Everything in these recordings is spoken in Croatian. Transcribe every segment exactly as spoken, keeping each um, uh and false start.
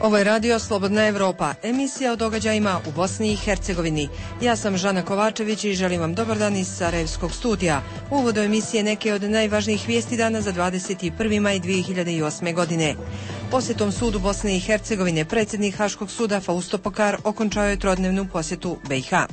Ovo je radio Slobodna Evropa, emisija o događajima u Bosni i Hercegovini. Ja sam Žana Kovačević i želim vam dobar dan iz Sarajevskog studija. U uvodu emisije neke od najvažnijih vijesti dana za dvadeset prvi maj dvije hiljade osme. godine. Posjetom sudu Bosne i Hercegovine predsjednik Haškog suda Fausto Pokar okončao je trodnevnu posjetu be i ha.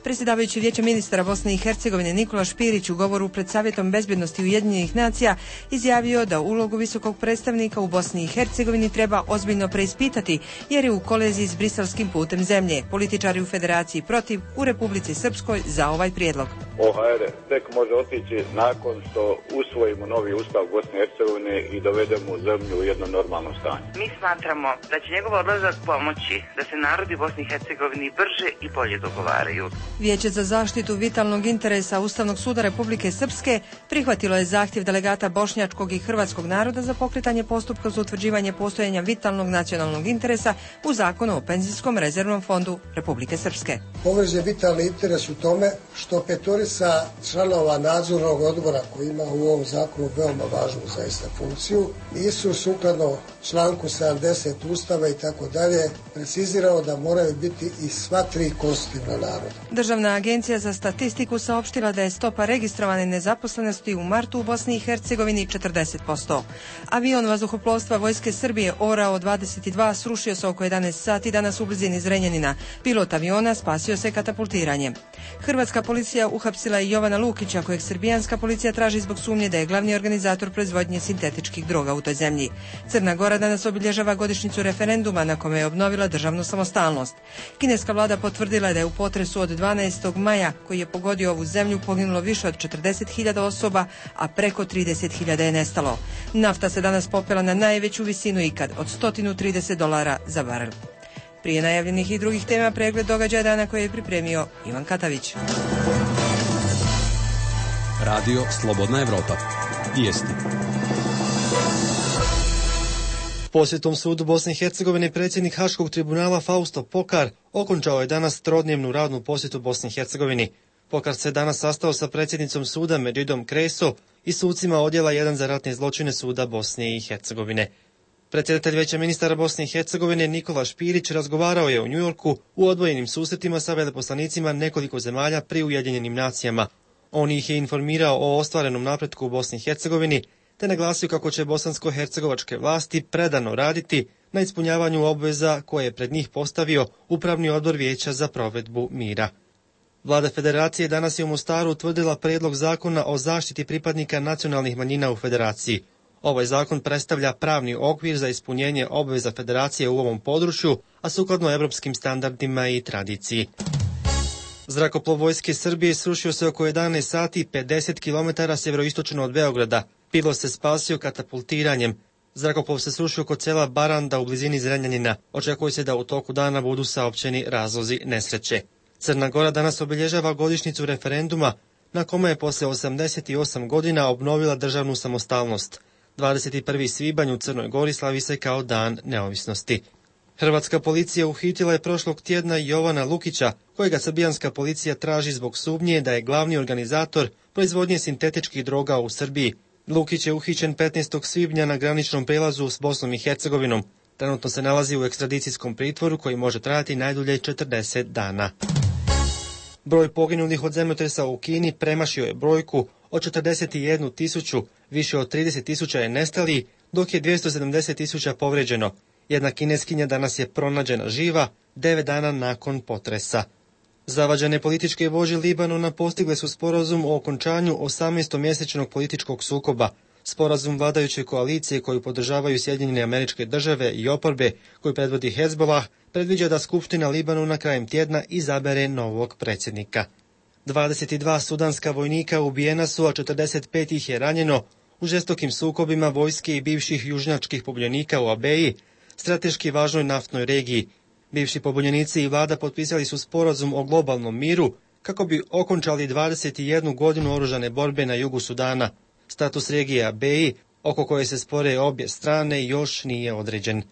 Predsjedavajući Vijeća ministara Bosne i Hercegovine Nikola Špirić u govoru pred Savjetom bezbjednosti Ujedinjenih nacija izjavio da ulogu visokog predstavnika u Bosni i Hercegovini treba ozbiljno preispitati jer je u koliziji s briselskim putem zemlje. Političari u Federaciji protiv, u Republici Srpskoj za ovaj prijedlog. o ha er tek može otići nakon što usvojimo novi ustav Bosne i Hercegovine i dovedemo zemlju u jedno normalno stanje. Mi smatramo da će njegov odlazak pomoći da se narodi Bosne i Hercegovine brže i bolje dogovaraju. Vijeće za zaštitu vitalnog interesa Ustavnog suda Republike Srpske prihvatilo je zahtjev delegata bošnjačkog i hrvatskog naroda za pokretanje postupka za utvrđivanje postojanja vitalnog nacionalnog interesa u Zakonu o penzijskom rezervnom fondu Republike Srpske. Povređen vitalni interes u tome što petorica članova nadzornog odbora koji ima u ovom zakonu veoma važnu zaista funkciju nisu sukladno članku sedamdeset Ustava i tako dalje precizirao da moraju biti i sva tri konstitutivna naroda. Državna agencija za statistiku saopštila da je stopa registrovane nezaposlenosti u martu u Bosni i Hercegovini četrdeset posto. Avion vazduhoplovstva Vojske Srbije Orao dvadeset dva srušio se oko jedanaest sati danas u blizini Zrenjanina. Pilot aviona spasio se katapultiranjem. Hrvatska policija uhapsila je Jovana Lukića, kojeg srbijanska policija traži zbog sumnje da je glavni organizator proizvodnje sintetičkih droga u toj zemlji. Crna Gora danas obilježava godišnjicu referenduma na kome je obnovila državnu samostalnost. Kineska vlada potvrdila da je u potresu od dvanaestog maja koji je pogodio ovu zemlju poginulo više od četrdeset hiljada osoba, a preko trideset hiljada je nestalo. Nafta se danas popela na najveću visinu ikad od sto trideset dolara za barel. Prije najavljenih i drugih tema pregled događaja dana koje je pripremio Ivan Katavić. Radio Slobodna Evropa. Vijesti. Posjetom sudu Bosne i Hercegovine predsjednik Haškog tribunala Fausto Pokar okončao je danas trodnevnu radnu posjetu Bosni i Hercegovini. Pokar se danas sastao sa predsjednicom suda Međidom Kreso i sucima odjela jedan za ratne zločine suda Bosne i Hercegovine. Predsjedatelj Vijeća ministara Bosne i Hercegovine Nikola Špirić razgovarao je u Njujorku u odvojenim susretima sa veleposlanicima nekoliko zemalja pri Ujedinjenim nacijama. On ih je informirao o ostvarenom napretku u Bosni i Hercegovini, te naglasio kako će bosansko-hercegovačke vlasti predano raditi na ispunjavanju obveza koje je pred njih postavio Upravni odbor Vijeća za provedbu mira. Vlada Federacije danas je u Mostaru utvrdila prijedlog zakona o zaštiti pripadnika nacionalnih manjina u Federaciji. Ovaj zakon predstavlja pravni okvir za ispunjenje obveza Federacije u ovom području, a sukladno evropskim standardima i tradiciji. Zrakoplov Vojske Srbije srušio se oko jedanaest sati pedeset kilometara sjeveroistočno od Beograda. Pilot se spasio katapultiranjem. Zrakoplov se srušio kod sela Baranda u blizini Zrenjanina. Očekuje se da u toku dana budu saopćeni razlozi nesreće. Crna Gora danas obilježava godišnjicu referenduma na kome je poslije osamdeset osam godina obnovila državnu samostalnost. dvadeset prvi svibanj u Crnoj Gori slavi se kao dan neovisnosti. Hrvatska policija uhitila je prošlog tjedna Jovana Lukića, kojega srbijanska policija traži zbog sumnje da je glavni organizator proizvodnje sintetičkih droga u Srbiji. Lukić je uhićen petnaestog svibnja na graničnom prelazu s Bosnom i Hercegovinom. Trenutno se nalazi u ekstradicijskom pritvoru koji može trajati najdulje četrdeset dana. Broj poginulih od zemljotresa u Kini premašio je brojku od četrdeset jednu tisuću, više od trideset tisuća je nestali, dok je dvjesto sedamdeset tisuća povrijeđeno. Jedna kineskinja danas je pronađena živa devet dana nakon potresa. Zavađene političke vođe Libanona postigle su sporazum o okončanju osamnaestomjesečnog političkog sukoba. Sporazum vladajuće koalicije koju podržavaju Sjedinjene Američke Države i oporbe koju predvodi Hezbollah predviđa da Skupština Libanona krajem tjedna izabere novog predsjednika. dvadeset dva sudanska vojnika ubijena su, a četrdeset pet ih je ranjeno u žestokim sukobima vojske i bivših južnjačkih pobunjenika u Abeji, strateški važnoj naftnoj regiji. Bivši pobunjenici i vlada potpisali su sporazum o globalnom miru kako bi okončali dvadeset jednu godinu oružane borbe na jugu Sudana. Status regije Abeji, oko koje se spore obje strane, još nije određen.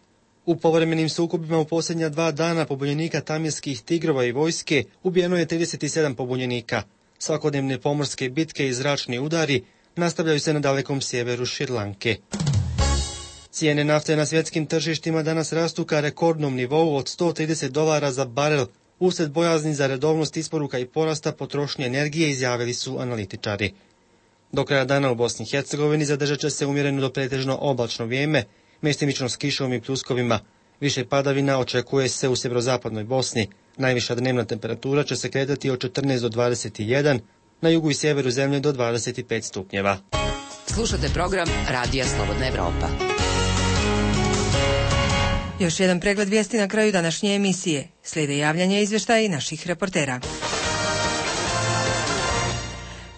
U povremenim sukobima u posljednja dva dana pobunjenika tamilskih tigrova i vojske ubijeno je trideset sedam pobunjenika. Svakodnevne pomorske bitke i zračni udari nastavljaju se na dalekom sjeveru Šrilanke. Cijene nafte na svjetskim tržištima danas rastu ka rekordnom nivou od sto trideset dolara za barel, usred bojazni za redovnost isporuka i porasta potrošnje energije, izjavili su analitičari. Do kraja dana u Bosni i Hercegovini zadržat će se umjereno do pretežno oblačno vrijeme, mjestimično s kišom i pljuskovima. Više padavina očekuje se u sjeverozapadnoj Bosni. Najviša dnevna temperatura će se kretati od četrnaest do dvadeset jedan, na jugu i sjeveru zemlje do dvadeset pet stupnjeva. Slušate program Radija Slobodna Evropa. Još jedan pregled vijesti na kraju današnje emisije. Slijede javljanje izvještaja i naših reportera.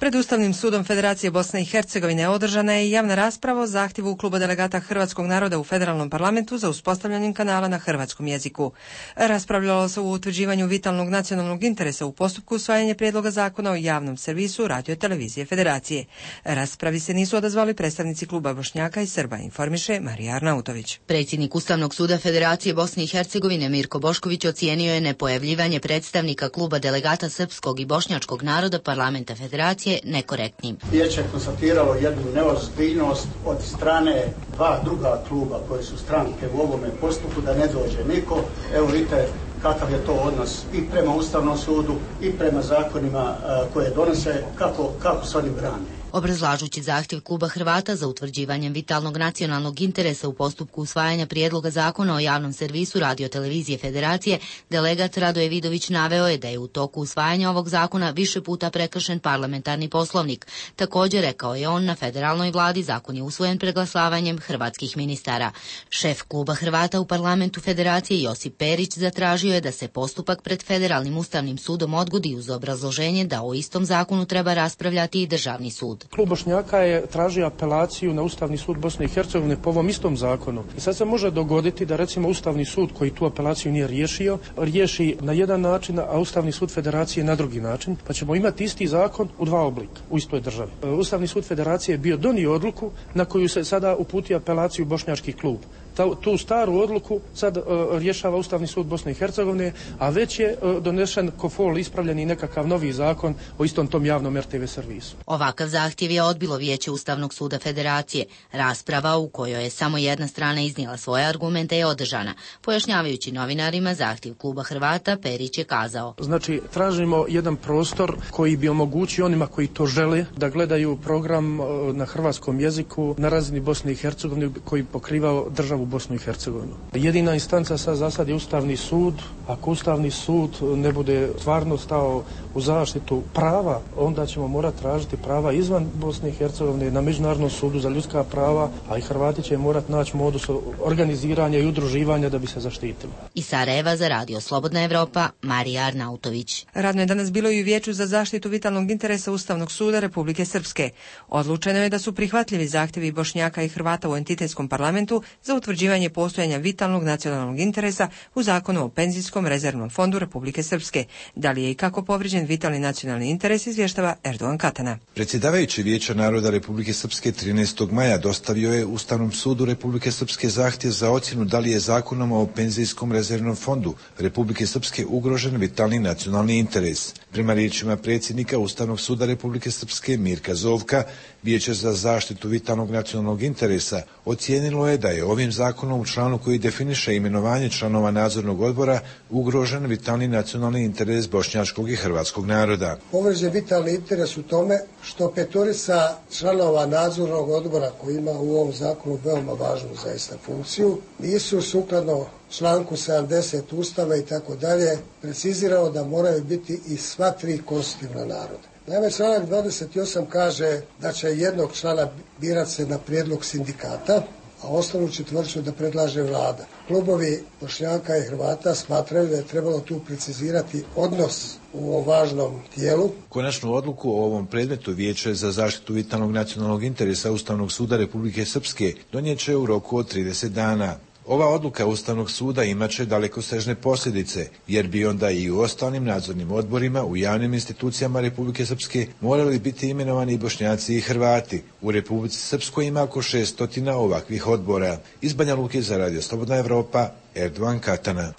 Pred Ustavnim sudom Federacije Bosne i Hercegovine održana je javna rasprava o zahtjevu kluba delegata Hrvatskog naroda u federalnom parlamentu za uspostavljanjem kanala na hrvatskom jeziku. Raspravljalo se o utvrđivanju vitalnog nacionalnog interesa u postupku usvajanja prijedloga zakona o javnom servisu Radio televizije Federacije. Raspravi se nisu odazvali predstavnici kluba Bošnjaka i Srba, informiše Marija Arnautović. Predsjednik Ustavnog suda Federacije Bosne i Hercegovine Mirko Bošković ocijenio je nepojavljivanje predstavnika kluba delegata srpskog i bošnjačkog naroda parlamenta Federacije nekorektnim. Vijeće je konstatiralo jednu neozbiljnost od strane dva druga kluba koje su stranke u ovome postupku da ne dođe niko. Evo vidite kakav je to odnos i prema Ustavnom sudu i prema zakonima koje donose, kako, kako se oni brane. Obrazlažući zahtjev kluba Hrvata za utvrđivanjem vitalnog nacionalnog interesa u postupku usvajanja prijedloga zakona o javnom servisu Radio televizije Federacije, delegat Radoje Vidović naveo je da je u toku usvajanja ovog zakona više puta prekršen parlamentarni poslovnik. Također, rekao je on, na federalnoj vladi zakon je usvojen preglasavanjem hrvatskih ministara. Šef kluba Hrvata u parlamentu Federacije Josip Perić zatražio je da se postupak pred Federalnim ustavnim sudom odgodi uz obrazloženje da o istom zakonu treba raspravljati i državni sud. Klub Bošnjaka je tražio apelaciju na Ustavni sud Bosne i Hercegovine po ovom istom zakonu. I sad se može dogoditi da recimo Ustavni sud koji tu apelaciju nije riješio, riješi na jedan način, a Ustavni sud Federacije na drugi način, pa ćemo imati isti zakon u dva oblika u istoj državi. Ustavni sud Federacije je bio donio odluku na koju se sada uputio apelaciju bošnjački klub. Ta, tu staru odluku sad uh, rješava Ustavni sud Bosne i Hercegovine, a već je uh, donešen kofol ispravljeni nekakav novi zakon o istom tom javnom er te ve servisu. Ovakav zahtjev je odbilo Vijeće Ustavnog suda Federacije. Rasprava u kojoj je samo jedna strana iznijela svoje argumente je održana. Pojašnjavajući novinarima zahtjev kluba Hrvata, Perić je kazao: Znači, tražimo jedan prostor koji bi omogućio onima koji to žele da gledaju program uh, na hrvatskom jeziku na razini Bosne i Hercegovine koji pokrivao državu Bosnu i Hercegovinu. Jedina instanca sad za sad je Ustavni sud. Ako Ustavni sud ne bude stvarno stao u zaštitu prava, onda ćemo morati tražiti prava izvan Bosne i Hercegovine na Međunarodnom sudu za ljudska prava, a i Hrvati će morati naći modus organiziranja i udruživanja da bi se zaštitili. Iz Sarajeva za Radio Slobodna Evropa, Marija Arnautović. Radno je danas bilo i u Vijeću za zaštitu vitalnog interesa Ustavnog suda Republike Srpske. Odlučeno je da su prihvatljivi zahtjevi Bošnjaka i Hrvata u entitetskom parlamentu za utvrđivanje postojanja vitalnog nacionalnog interesa u Zakonu o penzijskom rezervnom fondu Republike Srpske. Da li je i kako povrijeđen vitalni nacionalni interes, izvještava Erdogan Katana. Predsjedavajući Vijeća naroda Republike Srpske trinaestog maja dostavio je Ustavnom sudu Republike Srpske zahtjev za ocjenu da li je Zakonom o penzijskom rezervnom fondu Republike Srpske ugrožen vitalni nacionalni interes. Prema riječima predsjednika Ustavnog suda Republike Srpske Mirka Zovka, Vijeće za zaštitu vitalnog nacionalnog interesa ocijenilo je da je ovim zakonom u članu koji definiše imenovanje članova nadzornog odbora ugrožen vitalni nacionalni interes bošnjačkog i hrvatskog naroda. Povrijeđen vitalni interes u tome što petorica članova nadzornog odbora koji ima u ovom zakonu veoma važnu zaista funkciju nisu sukladno članku sedamdeset Ustava i tako dalje precizirao da moraju biti i sva tri konstitutivna naroda. Naime, članak dvadeset osam kaže da će jednog člana birati se na prijedlog sindikata, a ostalu četvrću da predlaže vlada. Klubovi Bošnjaka i Hrvata smatraju da je trebalo tu precizirati odnos u ovom važnom tijelu. Konačnu odluku o ovom predmetu Vijeće za zaštitu vitalnog nacionalnog interesa Ustavnog suda Republike Srpske donijet će u roku od trideset dana. Ova odluka Ustavnog suda imaće dalekosežne posljedice, jer bi onda i u ostalim nadzornim odborima u javnim institucijama Republike Srpske morali biti imenovani i Bošnjaci i Hrvati. U Republici Srpskoj ima oko šeststotina ovakvih odbora. Iz Banja Luke za Radio Slobodna Evropa, Erdogan Katana.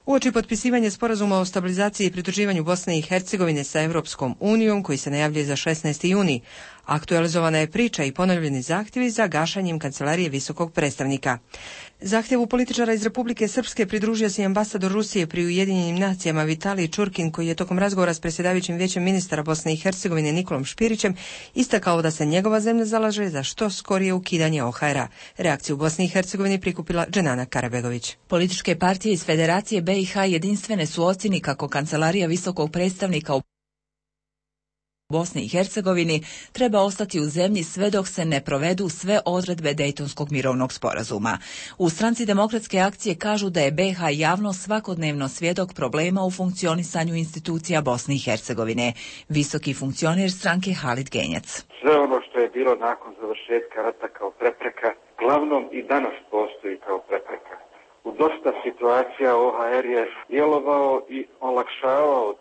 Uoči potpisivanja sporazuma o stabilizaciji i pridruživanju Bosne i Hercegovine sa Europskom unijom, koji se najavljuje za šesnaesti juni, aktualizovana je priča i ponovljeni zahtjevi za gašanjem kancelarije visokog predstavnika. Zahtjevu političara iz Republike Srpske pridružio se i ambasador Rusije pri Ujedinjenim nacijama Vitalij Čurkin, koji je tokom razgovora s predsjedavajućim vijećem ministara Bosne i Hercegovine Nikolom Špirićem istakao da se njegova zemlja zalaže za što skorije ukidanje O H R-a. Reakciju u Bosni i Hercegovini prikupila Dženana Karabegović. Političke partije iz Federacije B i H jedinstvene su ocjeni kako kancelarija visokog predstavnika u Bosni i Hercegovini treba ostati u zemlji sve dok se ne provedu sve odredbe Dejtonskog mirovnog sporazuma. U stranci Demokratske akcije kažu da je B i H javno svakodnevno svjedok problema u funkcionisanju institucija Bosne i Hercegovine. Visoki funkcioner stranke Halid Genjac. Sve ono što je bilo nakon završetka rata kao prepreka, glavnom i danas postoji kao prepreka. U dosta situacija O H R je djelovao i olakšavao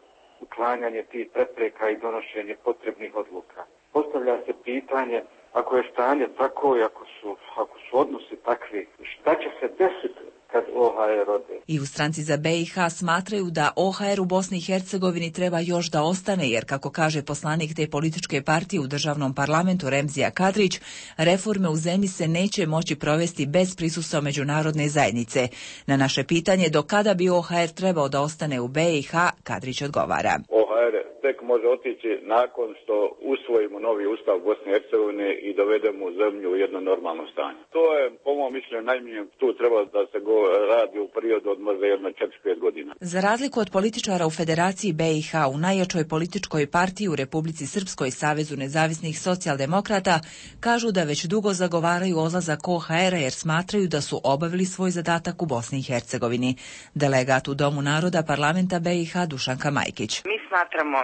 uklanjanje tih prepreka i donošenje potrebnih odluka. Postavlja se pitanje, ako je stanje tako i ako su, ako su odnosi takvi, šta će se desiti kad O H R ode? I u stranci za B i H smatraju da O H R u Bosni i Hercegovini treba još da ostane, jer kako kaže poslanik te političke partije u državnom parlamentu Remzija Kadrić, reforme u zemlji se neće moći provesti bez prisustva međunarodne zajednice. Na naše pitanje do kada bi O H R trebao da ostane u B i H, Kadrić odgovara. O H R tek može otići nakon što usvojimo novi ustav Bosne i Hercegovine i dovedemo zemlju u jedno normalno stanje. To je, po mom mišljenju, najmanje tu treba da se go radi u periodu od možda jedno četiri pet godina. Za razliku od političara u Federaciji B i H, u najjačoj političkoj partiji u Republici Srpskoj, Savezu nezavisnih socijaldemokrata, kažu da već dugo zagovaraju odlazak O H R-a jer smatraju da su obavili svoj zadatak u Bosni i Hercegovini. Delegat u Domu naroda parlamenta B i H Dušanka Majkić. Mi smatramo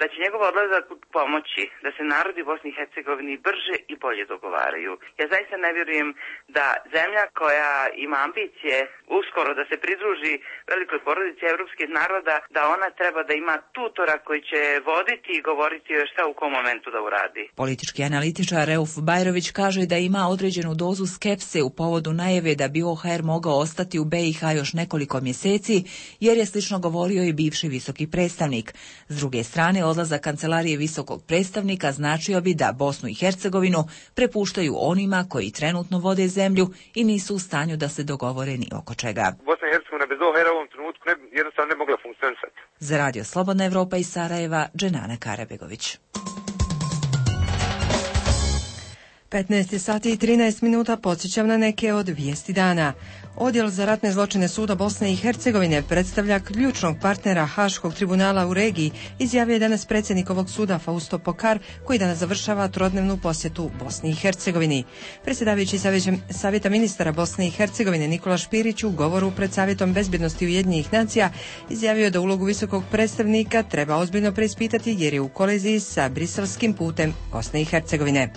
da će njegov odlazak pomoći da se narodi Bosni i Hercegovini brže i bolje dogovaraju. Ja zaista ne vjerujem da zemlja koja ima ambicije uskoro da se pridruži velikoj porodici evropskih naroda, da ona treba da ima tutora koji će voditi i govoriti joj šta u kom momentu da uradi. Politički analitičar Reuf Bajrović kaže da ima određenu dozu skepse u povodu najave da bi O H R mogao ostati u B i H još nekoliko mjeseci, jer je slično govorio i bivši visoki predstavnik. S druge strane, odlazak kancelarije visokog predstavnika značio bi da Bosnu i Hercegovinu prepuštaju onima koji trenutno vode zemlju i nisu u stanju da se dogovore ni oko čega. Bosna i Hercegovina bez O H R-a u ovom trenutku ne, jednostavno ne mogla funkcionisati. Za Radio Slobodna Evropa iz Sarajeva, Dženana Karabegović. petnaest sati i trinaest minuta, podsjećam na neke od vijesti dana. Odjel za ratne zločine Suda Bosne i Hercegovine predstavlja ključnog partnera Haškog tribunala u regiji, izjavio je danas predsjednik ovog suda Fausto Pokar, koji danas završava trodnevnu posjetu Bosni i Hercegovini. Predsjedavajući Savjeta ministara Bosne i Hercegovine Nikola Špirić u govoru pred Savjetom bezbjednosti Ujedinjenih nacija izjavio da ulogu visokog predstavnika treba ozbiljno preispitati jer je u koliziji sa briselskim putem Bosne i Hercegovine.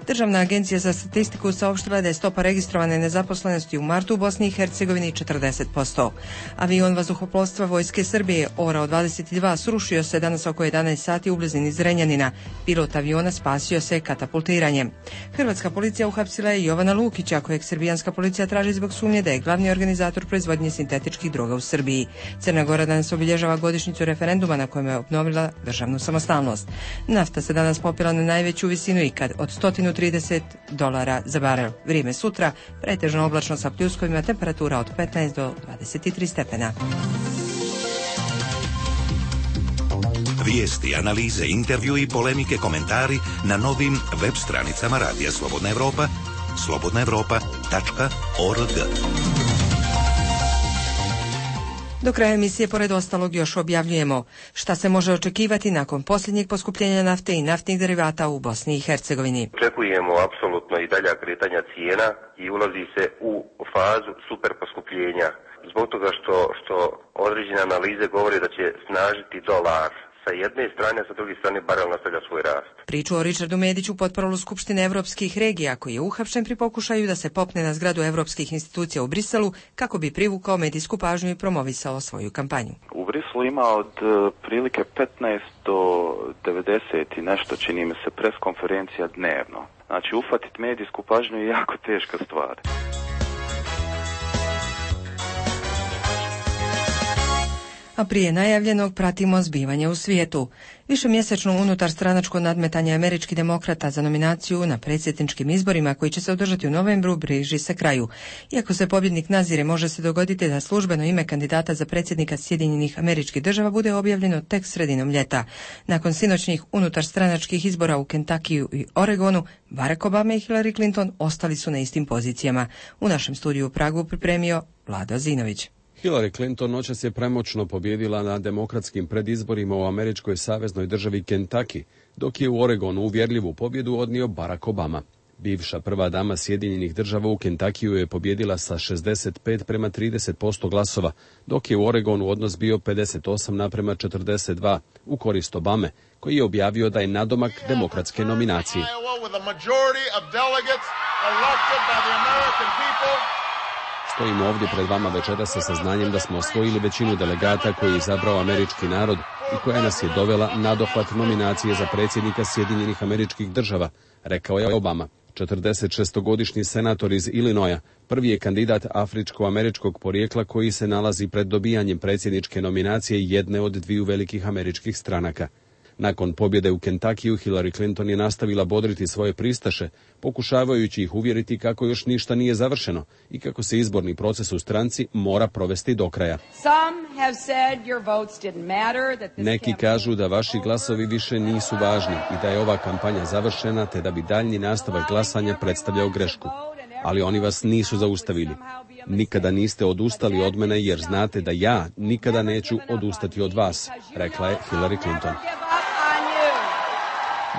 Državna agencija za statistiku saopštila da je stopa registrovane nezaposlenosti u martu u Bosni i Hercegovini četrdeset posto. Avion vazduhoplovstva Vojske Srbije Orao dvadeset dva srušio se danas oko jedanaest sati u blizini Zrenjanina. Pilot aviona spasio se katapultiranjem. Hrvatska policija uhapsila je Jovana Lukića, kojeg srbijanska policija traži zbog sumnje da je glavni organizator proizvodnje sintetičkih droga u Srbiji. Crna Gora danas obilježava godišnjicu referenduma na kojem je obnovila državnu samostalnost. Nafta se danas popila na najveću visinu ikad od sto trideset dolara za barel. Vrijeme sutra pretežno oblačno sa pljuskovima, temperatura od petnaest do dvadeset tri stepena. Vijesti, analize, intervju i polemike, komentari na novim web stranicama Radija Slobodna Evropa, slobodna evropa tačka org. Do kraja emisije, pored ostalog, još objavljujemo šta se može očekivati nakon posljednjeg poskupljenja nafte i naftnih derivata u Bosni i Hercegovini. Očekujemo apsolutno i dalja kretanja cijena i ulazi se u fazu super poskupljenja. Zbog toga što, što određene analize govore da će snažiti dolar sa jedne strane, a sa druge strane barel nastavlja svoj rast. Priču o Richardu Mediću, potporolu Skupštine evropskih regija, koji je uhapšen pri pokušaju da se popne na zgradu evropskih institucija u Briselu kako bi privukao medijsku pažnju i promovisao svoju kampanju. U Briselu ima od prilike petnaest do devedeset i nešto, čini mi se, pres konferencija dnevno. Znači, uhvatiti medijsku pažnju je jako teška stvar. a prije najavljenog pratimo zbivanje u svijetu. Višemjesečno unutar stranačko nadmetanje američkih demokrata za nominaciju na predsjedničkim izborima koji će se održati u novembru bliži se kraju. Iako se pobjednik nazire, može se dogoditi da službeno ime kandidata za predsjednika Sjedinjenih Američkih Država bude objavljeno tek sredinom ljeta. Nakon sinoćnih unutar stranačkih izbora u Kentakiju i Oregonu, Barack Obama i Hillary Clinton ostali su na istim pozicijama. U našem studiju u Pragu pripremio Vlado Zinović. Hillary Clinton noćas je premoćno pobjedila na demokratskim predizborima u američkoj saveznoj državi Kentucky, dok je u Oregonu uvjerljivu pobjedu odnio Barack Obama. Bivša prva dama Sjedinjenih Država u Kentakiju je pobjedila sa šezdeset pet prema trideset posto glasova, dok je u Oregonu odnos bio pedeset osam naprema četrdeset dva u korist Obame, koji je objavio da je nadomak demokratske nominacije. Stojimo ovdje pred vama večera sa saznanjem da smo osvojili većinu delegata koji je izabrao američki narod i koja nas je dovela na dohvat nominacije za predsjednika Sjedinjenih Američkih Država, rekao je Obama. četrdesetšestogodišnji senator iz Illinoisa prvi je kandidat afričko-američkog porijekla koji se nalazi pred dobijanjem predsjedničke nominacije jedne od dviju velikih američkih stranaka. Nakon pobjede u Kentakiju, Hillary Clinton je nastavila bodriti svoje pristaše, pokušavajući ih uvjeriti kako još ništa nije završeno i kako se izborni proces u stranci mora provesti do kraja. Neki kažu da vaši glasovi više nisu važni i da je ova kampanja završena, te da bi daljnji nastavak glasanja predstavljao grešku. Ali oni vas nisu zaustavili. Nikada niste odustali od mene jer znate da ja nikada neću odustati od vas, rekla je Hillary Clinton.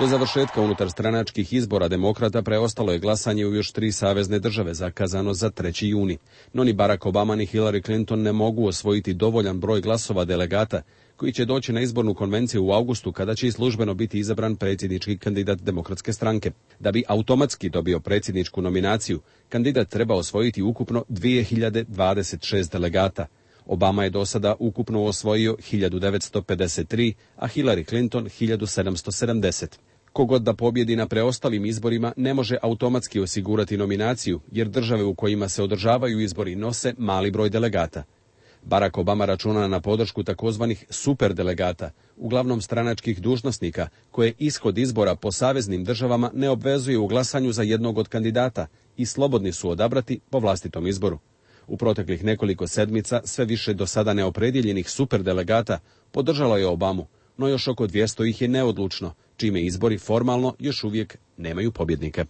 Do završetka unutar stranačkih izbora demokrata preostalo je glasanje u još tri savezne države, zakazano za treći juni. No ni Barack Obama ni Hillary Clinton ne mogu osvojiti dovoljan broj glasova delegata koji će doći na izbornu konvenciju u avgustu kada će i službeno biti izabran predsjednički kandidat demokratske stranke. Da bi automatski dobio predsjedničku nominaciju, kandidat treba osvojiti ukupno dvije hiljade dvadeset šest delegata. Obama je do sada ukupno osvojio hiljadu devetsto pedeset tri, a Hillary Clinton hiljadu sedamsto sedamdeset. Kogod da pobjedi na preostalim izborima ne može automatski osigurati nominaciju, jer države u kojima se održavaju izbori nose mali broj delegata. Barack Obama računa na podršku takozvanih superdelegata, uglavnom stranačkih dužnosnika, koje ishod izbora po saveznim državama ne obvezuje u glasanju za jednog od kandidata i slobodni su odabrati po vlastitom izboru. U proteklih nekoliko sedmica sve više do sada neopredjeljenih superdelegata podržalo je Obamu, no još oko dvjesto ih je neodlučno, čime izbori formalno još uvijek nemaju pobjednike.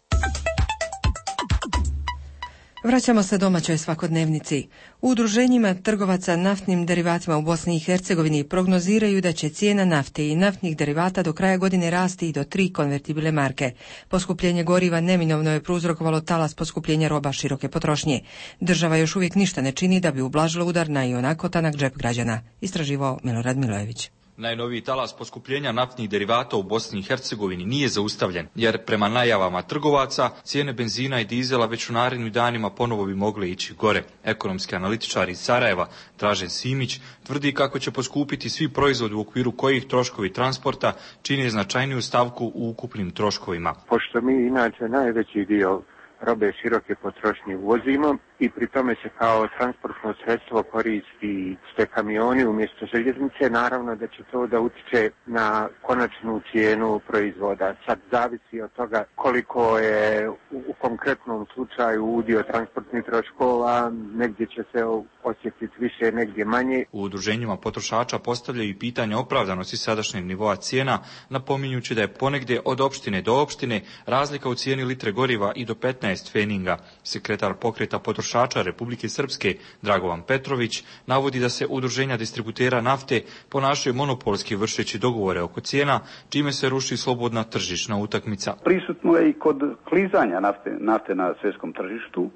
Vraćamo se domaćoj svakodnevnici. U udruženjima trgovaca naftnim derivatima u Bosni i Hercegovini prognoziraju da će cijena nafte i naftnih derivata do kraja godine rasti i do tri konvertibilne marke. Poskupljenje goriva neminovno je prouzrokovalo talas poskupljenja roba široke potrošnje. Država još uvijek ništa ne čini da bi ublažila udar na ionako tanak džep građana, istraživao Milorad Milojević. Najnoviji talas poskupljenja naftnih derivata u Bosni i Hercegovini nije zaustavljen, jer prema najavama trgovaca cijene benzina i dizela već u narednim danima ponovo bi mogle ići gore. Ekonomski analitičar iz Sarajeva, Dražen Simić, tvrdi kako će poskupiti svi proizvodi u okviru kojih troškovi transporta čine značajniju stavku u ukupnim troškovima. Pošto mi inače najveći dio robe široke potrošnje uvozimo i pri tome se kao transportno sredstvo koristi ste kamioni umjesto željeznice, naravno da će to da utiče na konačnu cijenu proizvoda. Sad zavisi od toga koliko je u, u konkretnom slučaju udio transportnih troškova, negdje će se osjetiti više, negdje manje. U udruženjima potrošača postavljaju i pitanje opravdanosti sadašnjeg nivoa cijena, napominjući da je ponegdje od opštine do opštine razlika u cijeni litre goriva i do petnaest feninga. Sekretar pokreta potrošača Republike Srpske, Dragovan Petrović, navodi da se udruženja distributera nafte ponašaju monopolski vršeći dogovore oko cijena, čime se ruši slobodna tržišna utakmica. Prisutno je i kod klizanja nafte, nafte na svjetskom tržištu,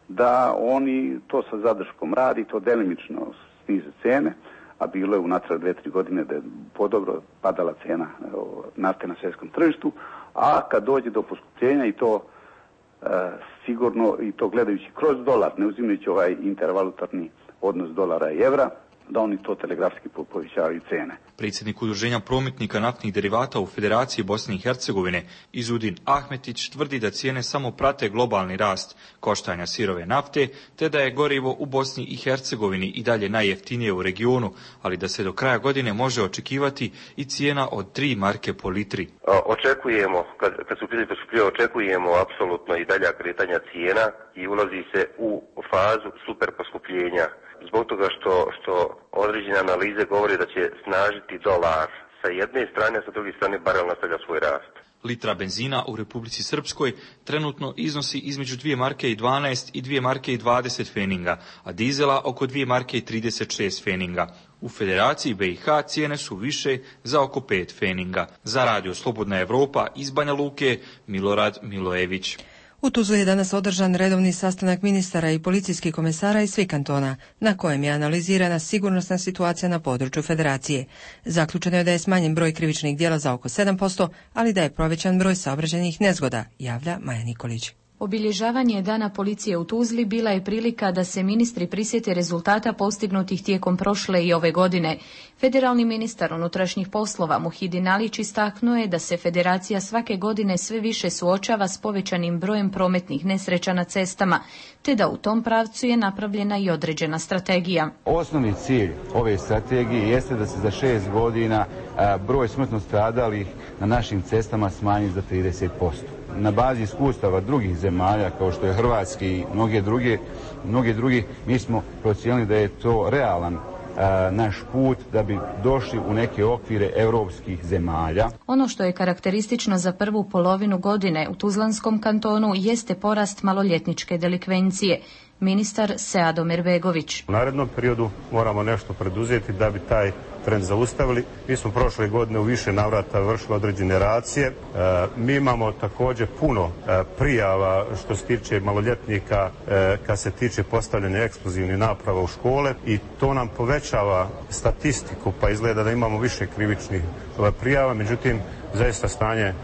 da oni to sa zadrškom radi, to delimično snize cijene, a bilo je unatrag dve, tri godine da je podobro padala cijena nafte na svjetskom tržištu, a kad dođe do poskupljenja i to e, sigurno, i to gledajući kroz dolar, ne uzimajući ovaj intervalutarni odnos dolara i evra, da oni to telegrafski povećavaju cene. Predsjednik Udruženja prometnika naftnih derivata u Federaciji Bosne i Hercegovine Izudin Ahmetić tvrdi da cijene samo prate globalni rast koštanja sirove nafte, te da je gorivo u Bosni i Hercegovini i dalje najjeftinije u regionu, ali da se do kraja godine može očekivati i cijena od tri marke po litri. Očekujemo, kad, kad su pitanje poskupljivo, očekujemo apsolutno i dalja kretanja cijena i ulazi se u fazu super poskupljenja. Zbog toga što, što određene analize govore da će snažiti dolar sa jedne strane, a sa druge strane barel nastavlja svoj rast. Litra benzina u Republici Srpskoj trenutno iznosi između dvije marke i dvanaest i dvije marke i dvadeset feninga, a dizela oko dvije marke i trideset šest feninga. U Federaciji B i H cijene su više za oko pet feninga. Za Radio Slobodna Evropa iz Banja Luke, Milorad Milojević. U Tuzli je danas održan redovni sastanak ministara i policijskih komesara iz svih kantona, na kojem je analizirana sigurnosna situacija na području Federacije. Zaključeno je da je smanjen broj krivičnih djela za oko sedam posto, ali da je povećan broj saobraćajnih nezgoda, javlja Maja Nikolić. Obilježavanje Dana policije u Tuzli bila je prilika da se ministri prisjete rezultata postignutih tijekom prošle i ove godine. Federalni ministar unutrašnjih poslova Muhidin Alić istaknuo je da se Federacija svake godine sve više suočava s povećanim brojem prometnih nesreća na cestama, te da u tom pravcu je napravljena i određena strategija. Osnovni cilj ove strategije jeste da se za šest godina broj smrtno stradalih na našim cestama smanji za trideset posto. Na bazi iskustava drugih zemalja kao što je Hrvatski i mnoge druge, mnoge drugi, mi smo procijenili da je to realan a, naš put da bi došli u neke okvire europskih zemalja. Ono što je karakteristično za prvu polovinu godine u Tuzlanskom kantonu jeste porast maloljetničke delikvencije. Ministar Seado Merbegović. U narednom periodu moramo nešto preduzeti da bi taj trend zaustavili. Mi smo prošle godine u više navrata vršili određene racije. E, mi imamo također puno e, prijava što se tiče maloljetnika e, kad se tiče postavljanja eksplozivnih naprava u škole i to nam povećava statistiku pa izgleda da imamo više krivičnih e, prijava. Međutim, zaista stanje e,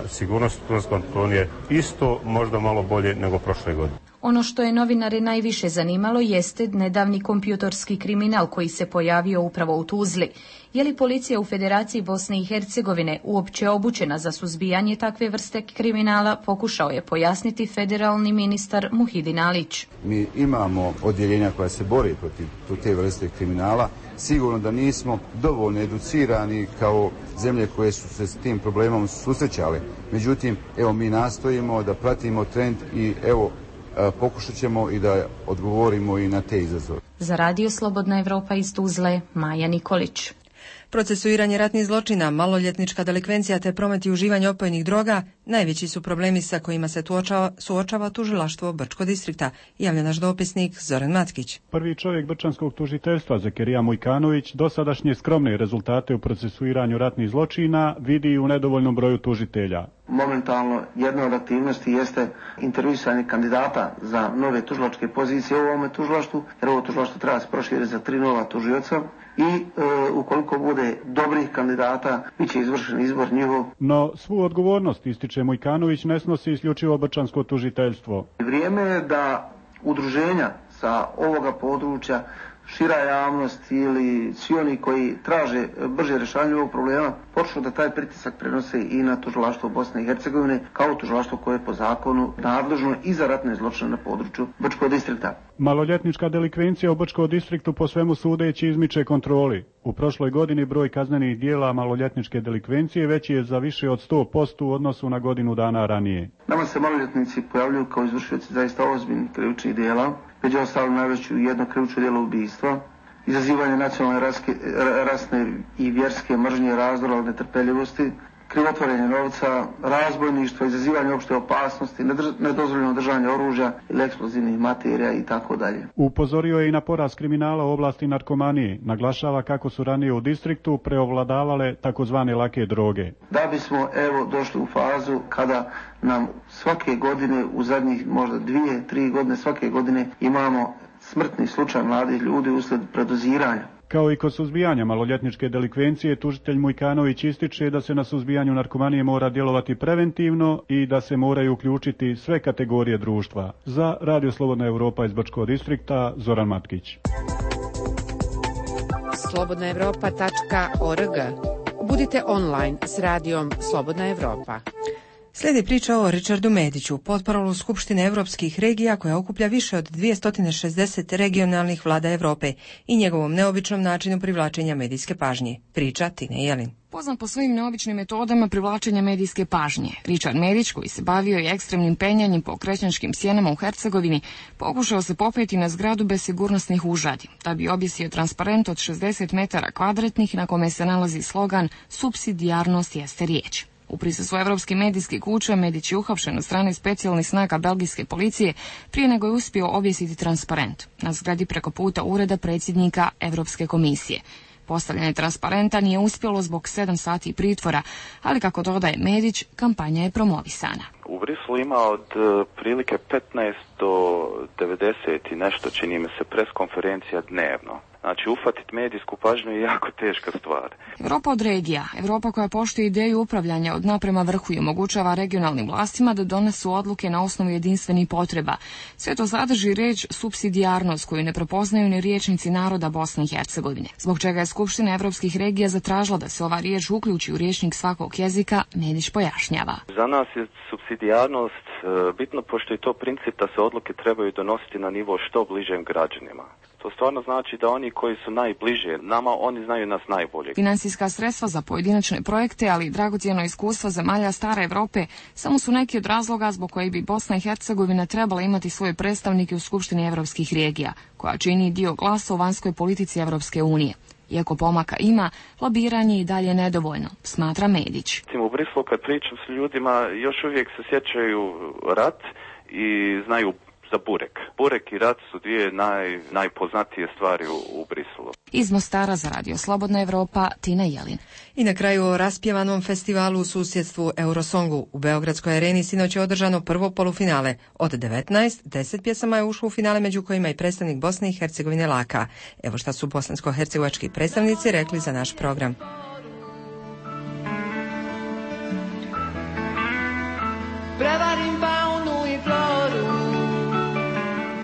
sigurnosti u Tuzlanskom kantonu je isto, možda malo bolje nego prošle godine. Ono što je novinare najviše zanimalo jeste nedavni kompjutorski kriminal koji se pojavio upravo u Tuzli. Je li policija u Federaciji Bosne i Hercegovine uopće obučena za suzbijanje takve vrste kriminala, pokušao je pojasniti federalni ministar Muhidin Alić. Mi imamo odjeljenja koja se bore protiv te vrste kriminala. Sigurno da nismo dovoljno educirani kao zemlje koje su se s tim problemom susrećale. Međutim, evo mi nastojimo da pratimo trend i evo pokušat ćemo i da odgovorimo i na te izazove. Za Radio Slobodna Evropa iz Tuzle, Maja Nikolić. Procesuiranje ratnih zločina, maloljetnička delikvencija te promet i uživanje opojnih droga najveći su problemi sa kojima se tuočava, suočava tužilaštvo Brčkog distrikta, javlja naš dopisnik Zoran Matkić. Prvi čovjek Brčanskog tužiteljstva Zekerija Mujkanović dosadašnje skromne rezultate u procesuiranju ratnih zločina vidi u nedovoljnom broju tužitelja. Momentalno jedna od aktivnosti jeste intervjuisanje kandidata za nove tužilačke pozicije u ovome tužilaštvu, jer ovo tužilaštvo treba se proširiti za tri nova tužioca i e, ukoliko bude dobrih kandidata, bit će izvršen izbor njihov. No svu odgovornost, ističe Mujkanović, ne snosi isključivo Brčansko tužiteljstvo. Vrijeme je da udruženja sa ovoga područja, šira javnost ili svi oni koji traže brže rješavanje ovog problema počnu da taj pritisak prenose i na tužilaštvo Bosne i Hercegovine kao tužilaštvo koje je po zakonu nadležno i za ratne zločine na području Brčkog distrikta. Maloljetnička delikvencija u Brčkom distriktu po svemu sudeći izmiče kontroli. U prošloj godini broj kaznenih dijela maloljetničke delikvencije veći je za više od sto posto u odnosu na godinu dana ranije. Nama se maloljetnici pojavljuju kao izvršioci zaista ozbiljnih krivičnih dijela. Među ostalim najveću jedno krivično djelo ubistva, izazivanje nacionalne raske, rasne i vjerske mržnje, razdora od netrpeljivosti, krivotvorenje novca, razbojništvo, izazivanje opšte opasnosti, nedozvoljeno držanje oružja ili eksplozivnih materija i tako dalje. Upozorio je i na porast kriminala u oblasti narkomanije. Naglašava kako su ranije u distriktu preovladavale takozvane lake droge. Da bismo evo došli u fazu kada nam svake godine, u zadnjih možda dvije, tri godine svake godine imamo smrtni slučaj mladih ljudi uslijed predoziranja. Kao i kod suzbijanja maloljetničke delikvencije, tužitelj Mujkanović ističe da se na suzbijanju narkomanije mora djelovati preventivno i da se moraju uključiti sve kategorije društva. Za Radio Slobodna Evropa iz Brčkog distrikta, Zoran Matkić. slobodna evropa tačka org. Budite online s radijom Slobodna Evropa. Slijedi priča o Richardu Mediću, potparolu Skupštine evropskih regija koja okuplja više od dvjesto šezdeset regionalnih vlada Evrope i njegovom neobičnom načinu privlačenja medijske pažnje. Priča Tine Jelin. Poznat po svojim neobičnim metodama privlačenja medijske pažnje, Richard Medić, koji se bavio i ekstremnim penjanjem po Krećančkim sjenama u Hercegovini, pokušao se popeti na zgradu bez sigurnosnih užadi, da bi objesio transparent od šezdeset metara kvadratnih na kome se nalazi slogan "Supsidijarnost jeste riječ". U prisustvu evropskih medijskih kuća Medić je uhapšen od strane specijalnih snaga belgijske policije prije nego je uspio objesiti transparent na zgradi preko puta ureda predsjednika Evropske komisije. Postavljanje transparenta nije uspjelo zbog sedam sati pritvora, ali kako dodaje Medić, kampanja je promovisana. U Briselu ima od prilike petnaest do devedeset i nešto, čini mi se, preskonferencija dnevno. Znači, ufatiti medijsku pažnju je jako teška stvar. Evropa od regija, Evropa koja poštuje ideju upravljanja od dna prema vrhu i omogućava regionalnim vlastima da donesu odluke na osnovu jedinstvenih potreba. Sve to sadrži riječ supsidijarnost koju ne prepoznaju ni riječnici naroda Bosne i Hercegovine. Zbog čega je Skupština evropskih regija zatražila da se ova riječ uključi u rječnik svakog jezika, Medić pojašnjava. Za nas je supsidijarnost bitno pošto je to princip da se odluke trebaju donositi na nivo što bližem građanima. To stvarno znači da oni koji su najbliže nama, oni znaju nas najbolje. Financijska sredstva za pojedinačne projekte, ali i dragocjeno iskustvo zemalja stare Evrope samo su neki od razloga zbog koji bi Bosna i Hercegovina trebala imati svoje predstavnike u Skupštini evropskih regija, koja čini dio glasa u vanjskoj politici Evropske unije. Iako pomaka ima, lobiranje je i dalje nedovoljno, smatra Medić. U Briselu kad pričam s ljudima, još uvijek se sjećaju rat i znaju za burek. Burek i rat su dvije naj, najpoznatije stvari u, u Briselu. Iz Mostara za Radio Slobodna Evropa, Tina Jelin. I na kraju o raspjevanom festivalu u susjedstvu Eurosongu. U Beogradskoj areni sinoć je održano prvo polufinale. Od devetnaest, deset pjesama je ušlo u finale, među kojima i predstavnik Bosne i Hercegovine Laka. Evo šta su bosansko-hercegovački predstavnici rekli za naš program. Prevarim faunu i floru.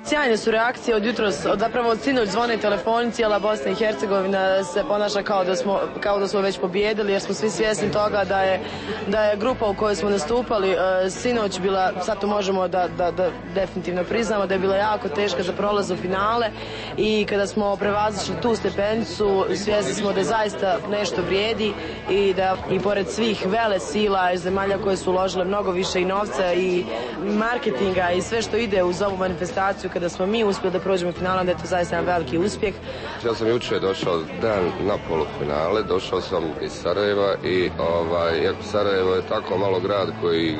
Sjajne su reakcije od jutros, od zapravo od sinoć zvone telefoni, cijela Bosna i Hercegovina se ponaša kao da smo, kao da smo već pobijedili, jer smo svi svjesni toga da je, da je grupa u kojoj smo nastupali e, sinoć bila, sad to možemo da, da, da definitivno priznamo, da je bila jako teška za prolaz u finale i kada smo prevazišli tu stepenicu, svjesni smo da zaista nešto vrijedi i da i pored svih vele sila iz zemalja koje su uložile mnogo više i novca i marketinga i sve što ide uz ovu manifestaciju, kada smo mi uspjeli da prođemo u finalu, da je to zaista jedan veliki uspjeh. Ja sam jučer došao dan na polufinale, došao sam iz Sarajeva i ovaj, jako Sarajevo je tako malo grad koji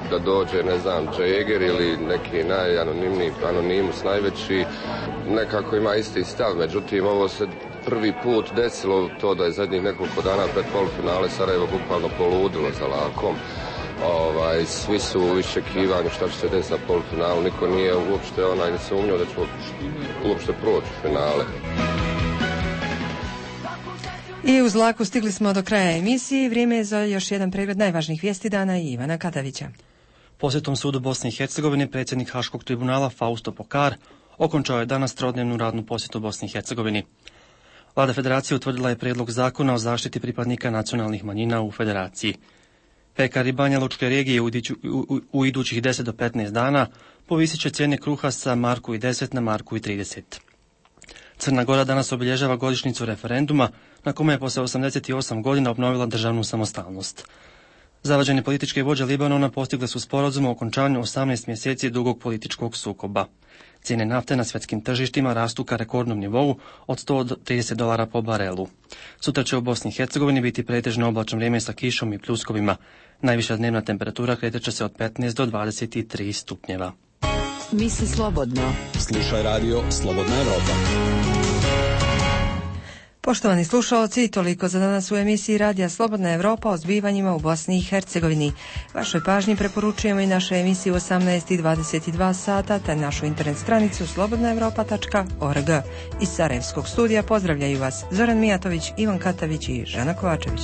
da dođe, ne znam, Džeger ili neki najanonimniji anonimus najveći, nekako ima isti stav, međutim ovo se prvi put desilo to da je zadnjih nekoliko dana pred polufinale Sarajevo bukvalno poludilo za Lakom. Ovaj, svi su u iščekivanju šta će se desiti na polufinalu, niko nije uopšte onaj ne sumnjao da ćemo uopšte proći u finale. I uz Laku stigli smo do kraja emisije i vrijeme je za još jedan pregled najvažnijih vijesti dana i Ivana Katavića. Posjetom sudu Bosne i Hercegovine predsjednik Haškog tribunala Fausto Pokar okončao je danas trodnevnu radnu posjetu Bosni i Hercegovini. Vlada Federacije utvrdila je prijedlog zakona o zaštiti pripadnika nacionalnih manjina u Federaciji. Pekari i Banja Lučke regije u, u, u idućih deset do petnaest dana povisit će cijene kruha sa marku i deset na marku i trideset. Crna Gora danas obilježava godišnjicu referenduma na kome je poslije osamdeset osam godina obnovila državnu samostalnost. Zavađene političke vođe Libanona postigle su sporazum o okončanju osamnaest mjeseci dugog političkog sukoba. Cijene nafte na svjetskim tržištima rastu ka rekordnom nivou od sto trideset dolara po barelu. Sutra će u Bosni i Hercegovini biti pretežno oblačno vrijeme sa kišom i pljuskovima. Najviša dnevna temperatura kretat će se od petnaest do dvadeset tri stupnjeva. Misli slobodno. Slušaj radio Slobodna Evropa. Poštovani slušalci, toliko za danas u emisiji Radija Slobodna Evropa o zbivanjima u Bosni i Hercegovini. Vašoj pažnji preporučujemo i naše emisije u osamnaest i dvadeset dva sata, te našu internet stranicu slobodna evropa tačka org. Iz Sarajevskog studija pozdravljaju vas Zoran Mijatović, Ivan Katavić i Žana Kovačević.